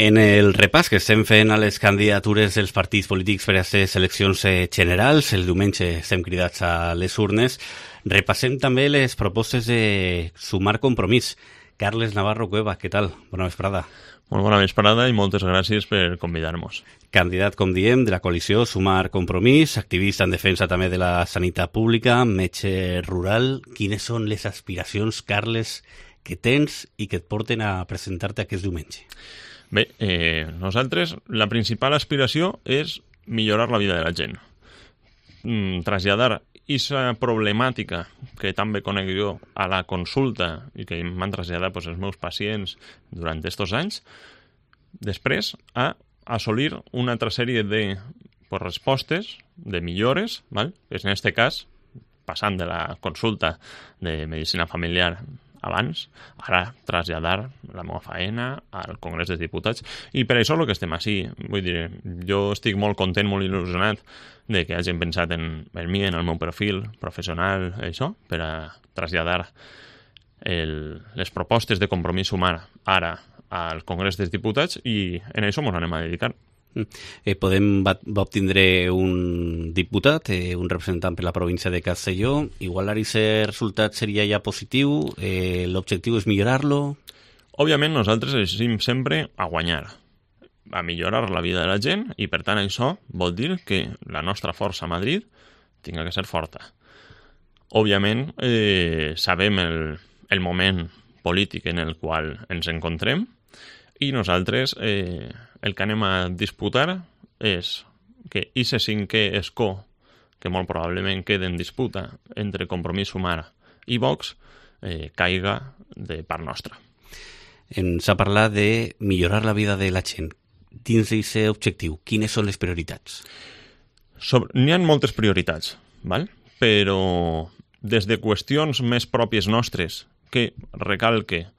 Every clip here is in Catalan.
En el repàs que estem fent a les candidatures dels partits polítics per a les eleccions generals, el diumenge estem cridats a les urnes, repassem també les propostes de Sumar Compromís. Carles Navarro Cueva, què tal? Bona vesprada. Molt bona vesprada i moltes gràcies per convidar-nos. Candidat, com diem, de la coalició Sumar Compromís, activista en defensa també de la sanitat pública, metge rural. Quines són les aspiracions, Carles, que tens i que et porten a presentar-te aquest diumenge? Bé, nosaltres la principal aspiració és millorar la vida de la gent. Traslladar aquesta problemàtica que tan bé conec jo a la consulta i que m'han traslladat els meus pacients durant aquests anys, després a assolir una altra sèrie de respostes, de millores, val? En aquest cas, passant de la consulta de medicina familiar abans, ara traslladar la meva feina al Congrés dels Diputats, i per això el que estem així. Vull dir, jo estic molt content, molt il·lusionat de que hagin pensat en mi, en el meu perfil professional, això, per a traslladar les propostes de Compromís Sumar ara al Congrés dels Diputats, i en això ens anem a dedicar. Va obtindre un diputat, un representant per la província de Castelló. Igual aquest resultat seria ja positiu? L'objectiu és millorar-lo? Òbviament nosaltres deixem sempre a guanyar, a millorar la vida de la gent, i per tant això vol dir que la nostra força a Madrid tinga que ser forta. Òbviament sabem el moment polític en el qual ens encontrem, i nosaltres el que anem a disputar és que aquest cinquè escó, que molt probablement queda en disputa entre Compromís Sumar i Vox, caiga de part nostra. Ens ha parlat de millorar la vida de la gent. Dins d'aquest objectiu, quines són les prioritats? N'hi ha moltes prioritats, val? Però des de qüestions més pròpies nostres, que recalque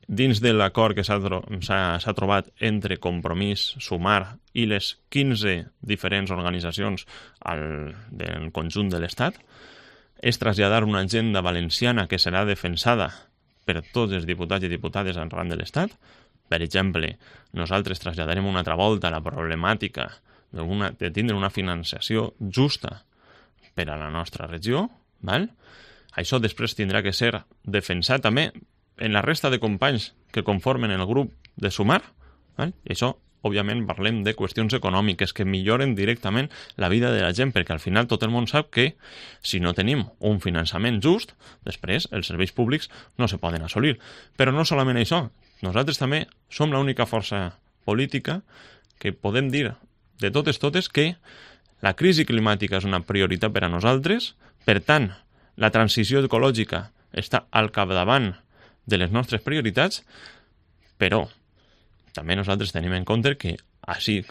dins de l'acord que s'ha trobat entre Compromís, Sumar i les 15 diferents organitzacions del conjunt de l'Estat, és traslladar una agenda valenciana que serà defensada per tots els diputats i diputades arran de l'Estat. Per exemple, nosaltres traslladarem una altra volta la problemàtica de tindre una financiació justa per a la nostra regió. Val? Això després tindrà que ser defensat també en la resta de companys que conformen el grup de Sumar. Val? I això, òbviament, parlem de qüestions econòmiques que milloren directament la vida de la gent, perquè al final tot el món sap que si no tenim un finançament just, després els serveis públics no se poden assolir. Però no solament això, nosaltres també som l'única força política que podem dir de totes que la crisi climàtica és una prioritat per a nosaltres, per tant, la transició ecològica està al capdavant de les nostres prioritats, però també nosaltres tenim en compte que així,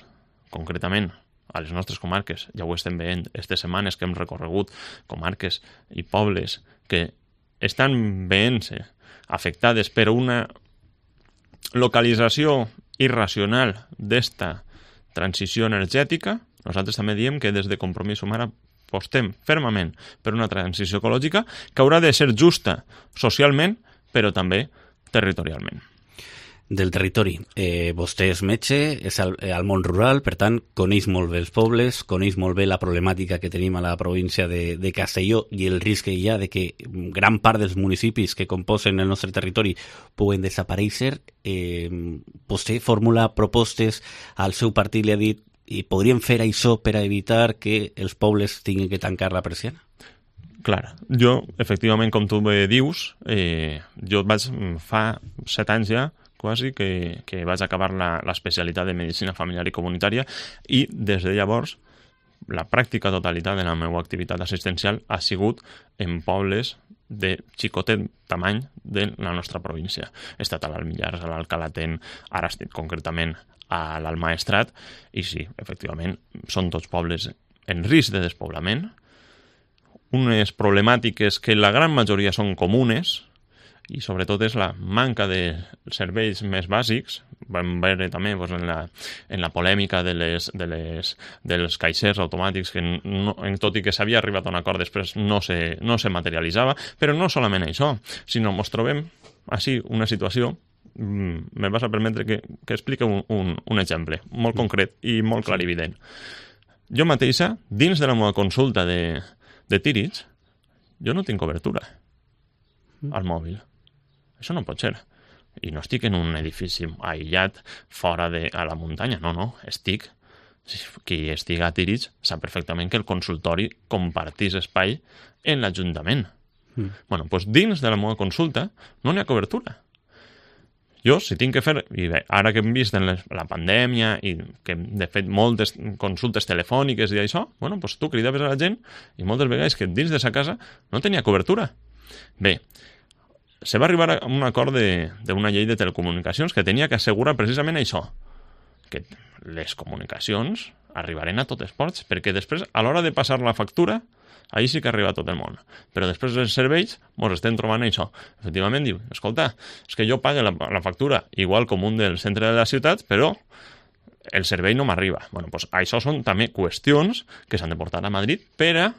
concretament, a les nostres comarques, ja ho estem veient aquestes setmanes que hem recorregut comarques i pobles que estan veient-se afectades per una localització irracional d'esta transició energètica, nosaltres també diem que des de Compromís Sumar apostem fermament per una transició ecològica que haurà de ser justa socialment, però també territorialment. Del territori. Vostè és metge, és al món rural, per tant, coneix molt bé els pobles, coneix molt bé la problemàtica que tenim a la província de Castelló i el risc que hi ha de que gran part dels municipis que composen el nostre territori puguen desaparèixer. Vostè formula propostes, al seu partit li ha dit i podríem fer això per a evitar que els pobles tinguin que tancar la persiana? Clar, jo, efectivament, com tu bé dius, jo fa 7 anys ja, quasi, que vaig acabar l'especialitat de Medicina Familiar i Comunitària, i des de llavors la pràctica totalitat de la meva activitat assistencial ha sigut en pobles de xicotet tamany de la nostra província. He estat a l'Almillars, a l'Alcalatent, ara estic concretament a l'Almaestrat, i sí, efectivament, són tots pobles en risc de despoblament, unes problemàtiques que la gran majoria són comunes, i sobretot és la manca de serveis més bàsics. Vam veure també en la polèmica dels caixers automàtics que tot i que s'havia arribat a un acord després no se materialitzava, però no solament això, sinó ens trobem així una situació me vas a permetre que expliqui un exemple molt concret i molt clarivident. Jo mateixa, dins de la meva consulta de tírids, jo no tinc cobertura al mòbil. Això no pot ser. I no estic en un edifici aïllat fora a la muntanya. No, estic... Qui estiga a Tírids sap perfectament que el consultori compartís espai en l'Ajuntament. Bueno, doncs dins de la meva consulta no n'hi ha cobertura. Jo, si tinc que fer... I bé, ara que hem vist en la pandèmia i que hem de fet moltes consultes telefòniques i això, bueno, doncs tu cridaves a la gent i moltes vegades que dins de sa casa no tenia cobertura. Bé, se va arribar a un acord d'una llei de telecomunicacions que tenia que assegurar precisament això, que les comunicacions arribaren a tots ports, perquè després, a l'hora de passar la factura, ahir sí que arriba a tot el món. Però després els serveis ens estem trobant això. Efectivament, diu, escolta, és que jo pague la factura igual com un del centre de la ciutat, però el servei no m'arriba. Bueno, doncs això són també qüestions que s'han de portar a Madrid per a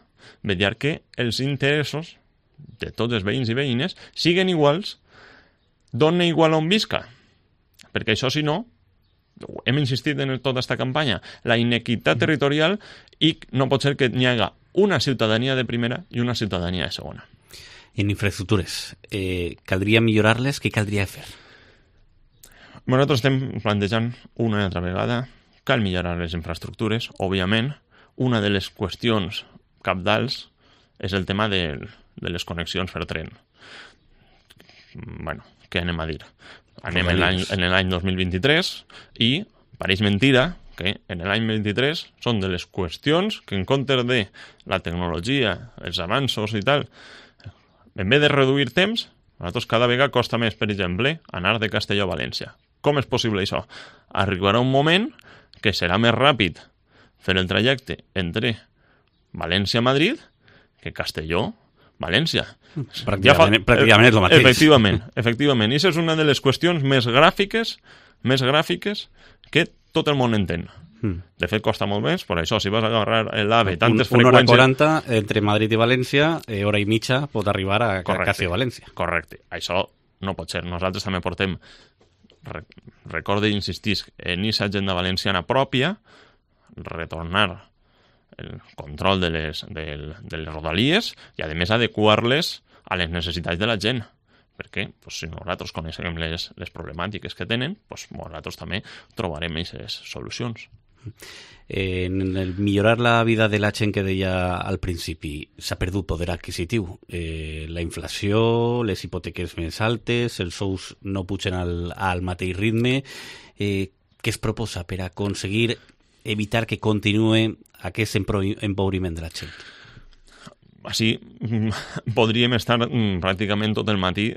vetllar que els interessos de tots els veïns i veïnes siguen iguals, dona igual on visca. Perquè això, si no, hem insistit en tota aquesta campanya, la inequitat territorial, i no pot ser que n'hi haga una ciutadania de primera i una ciutadania de segona. En infraestructures, caldria millorar-les? Què caldria fer? Nosaltres estem plantejant una i altra vegada, cal millorar les infraestructures, òbviament. Una de les qüestions cabdals és el tema de les connexions per tren. Bueno, què anem a dir? Anem en l'any 2023 i pareix mentira que en l'any 23 són de les qüestions que en comptes de la tecnologia, els avanços i tal, en vez de reduir temps, a nosaltres cada vegada costa més, per exemple, anar de Castelló a València. Com és possible això? Arribarà un moment que serà més ràpid fer el trajecte entre València-Madrid que Castelló-València. Pràcticament és el mateix. Efectivament. I això és una de les qüestions més gràfiques que tot el món entén. De fet, costa molt més, per això, si vas a agarrar l'AVE tantes freqüències... Una hora 40 entre Madrid i València, hora i mitja pot arribar a quasi a València. Correcte. Això no pot ser. Nosaltres també portem, recorde i insistís, en aquesta agenda valenciana pròpia, retornar el control de les rodalies i, a més, adequar-les a les necessitats de la gent. Perquè si nosaltres coneixem les problemàtiques que tenen, nosaltres també trobarem aquestes solucions. En el millorar la vida de la gent que deia al principi, s'ha perdut poder adquisitiu. La inflació, les hipoteques més altes, els sous no pugen al mateix ritme. Què es proposa per aconseguir evitar que continuï aquest empobriment de la gent? Així podríem estar pràcticament tot el matí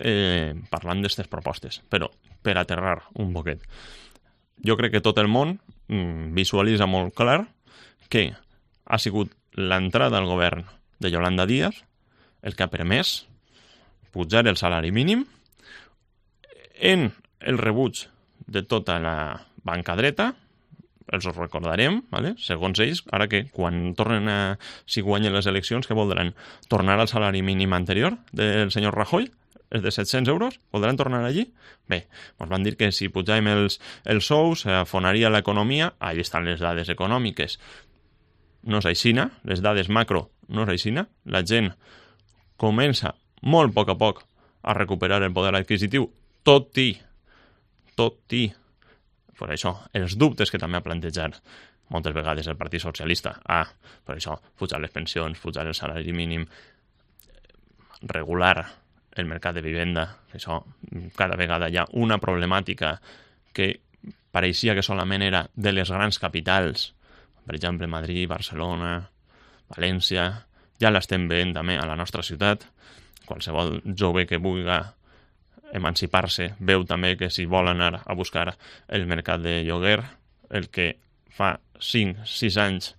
parlant d'aquestes propostes, però per aterrar un poquet. Jo crec que tot el món visualitza molt clar que ha sigut l'entrada al govern de Yolanda Díaz el que ha permès pujar el salari mínim en el rebuig de tota la banca dreta. Els ho recordarem, ¿vale? Segons ells, ara que quan tornen si guanyen les eleccions, què voldran? Tornar al salari mínim anterior del senyor Rajoy? És de 700 euros? Voldran tornar allí? Bé, ens van dir que si pujàvem els sous afonaria l'economia. Allí estan les dades econòmiques. No és aixina, les dades macro no és aixina. La gent comença molt a poc a recuperar el poder adquisitiu, tot i per això, els dubtes que també ha plantejat moltes vegades el Partit Socialista. Per això, pujar les pensions, pujar el salari mínim, regular el mercat de vivenda. Això, cada vegada hi ha una problemàtica que pareixia que solament era de les grans capitals, per exemple, Madrid, Barcelona, València. Ja l'estem veient també a la nostra ciutat. Qualsevol jove que vulgui emancipar-se veu també que si vol anar a buscar el mercat de lloguer, el que fa 5-6 anys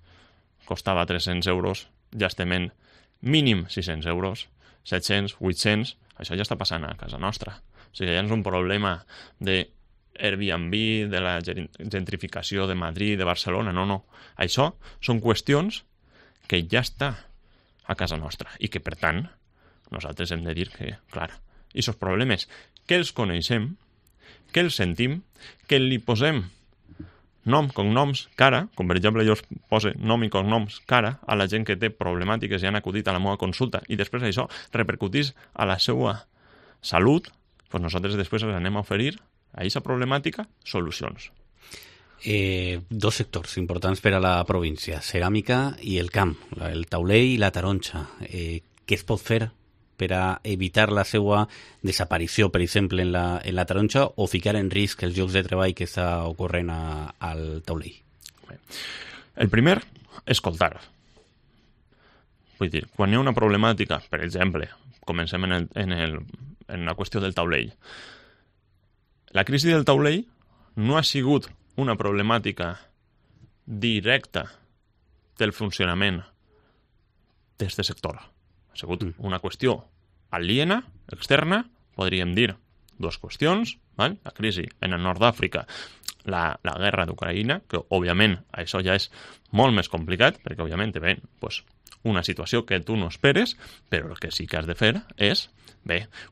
costava 300 euros, ja estem en mínim 600 euros, 700, 800, això ja està passant a casa nostra. O sigui, ja no és un problema de Airbnb, de la gentrificació de Madrid, de Barcelona, no. Això són qüestions que ja està a casa nostra i que, per tant, nosaltres hem de dir que, clar, i aquests problemes que els coneixem que el sentim, que li posem nom, cognoms, cara, com per exemple jo poso nom i cognoms, cara, a la gent que té problemàtiques i han acudit a la meva consulta i després això repercutís a la seva salut, doncs nosaltres després els anem a oferir a aquesta problemàtica solucions. Dos sectors importants per a la província, ceràmica i el camp, el taulell i la taronja. Què es pot fer per a evitar la seva desaparició, per exemple, en la taronja o ficar en risc els llocs de treball que està ocorrent al taulell? El primer, escoltar. Vull dir, quan hi ha una problemàtica, per exemple, comencem en la qüestió del taulell. La crisi del taulell no ha sigut una problemàtica directa del funcionament d'aquest sector. Ha sigut una qüestió aliena, externa, podríem dir dues qüestions, val? La crisi en el nord d'Àfrica, la guerra d'Ucraïna, que òbviament això ja és molt més complicat, perquè òbviament ve una situació que tu no esperes, però el que sí que has de fer és,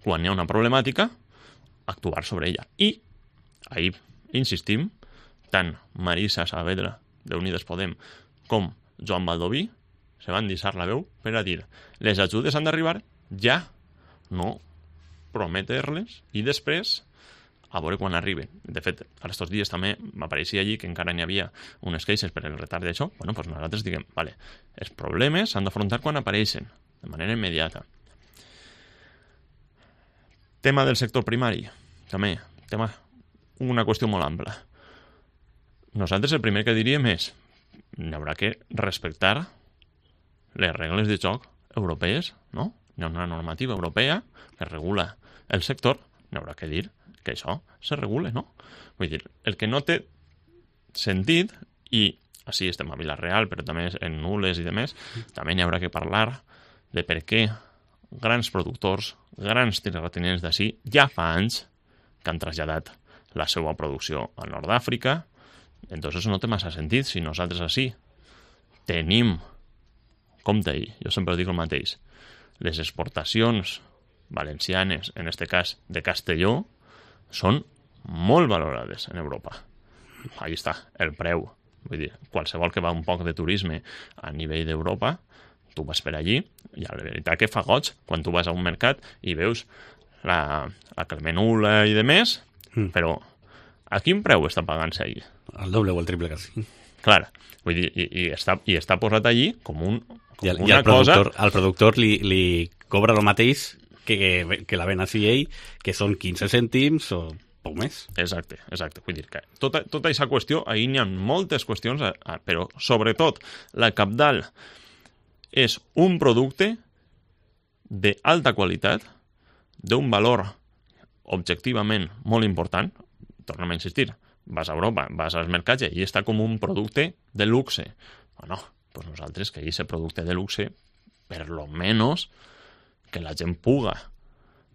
quan hi ha una problemàtica, actuar sobre ella. I ahir insistim, tant Marisa Saavedra, d'Unides Podem, com Joan Baldoví, se van deixar la veu per a dir les ajudes han d'arribar ja, no prometre-les i després a veure quan arriben. De fet, aquests dies també m'apareixia allí que encara n'hi havia unes queixes per el retard d'això. Bueno, doncs nosaltres diguem, vale, els problemes s'han d'afrontar quan apareixen, de manera immediata. Tema del sector primari, també, una qüestió molt ampla. Nosaltres el primer que diríem és n'hi haurà que respectar les regles de joc europees, no? Hi ha una normativa europea que regula el sector, n'hi haurà que dir que això se regule, no? Vull dir, el que no té sentit, i així estem a Vila-real, però també en Nules i demés, també n'hi haurà que parlar de per què grans productors, grans terratinents d'ací, ja fa anys que han traslladat la seva producció al nord d'Àfrica. Entonces no té massa sentit si nosaltres així tenim, compte ahir, jo sempre dic el mateix, les exportacions valencianes, en este cas de Castelló, són molt valorades en Europa. Ahí està, el preu. Vull dir, qualsevol que va un poc de turisme a nivell d'Europa, tu vas per allí, i la veritat que fa goig quan tu vas a un mercat i veus la Clemenula i de més, però a quin preu està pagant-se allí? El doble o el triple, quasi. Clar, vull dir, i està posat allí com una cosa... Al productor li cobra el mateix que la ven així ell, que són 15 cèntims o poc més. Exacte. Vull dir que tota aquesta qüestió, ahir n'hi ha moltes qüestions, però sobretot la cabdal és un producte d'alta qualitat, d'un valor objectivament molt important. Tornem a insistir, vas a Europa, vas als mercats i està com un producte de luxe. Bueno, doncs nosaltres que aquest producte de luxe, per lo menos que la gent puga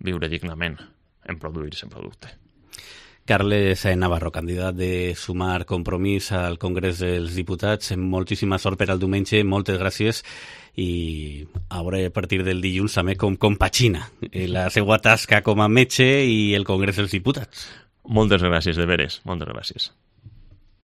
viure dignament en produir aquest producte. Carles Navarro, candidat de Sumar Compromís al Congrés dels Diputats, moltíssima sort per al diumenge, moltes gràcies, i a veure a partir del dilluns també com compagina la seva tasca com a metge i el Congrés dels Diputats. Moltes gràcies, de veres, moltes gràcies.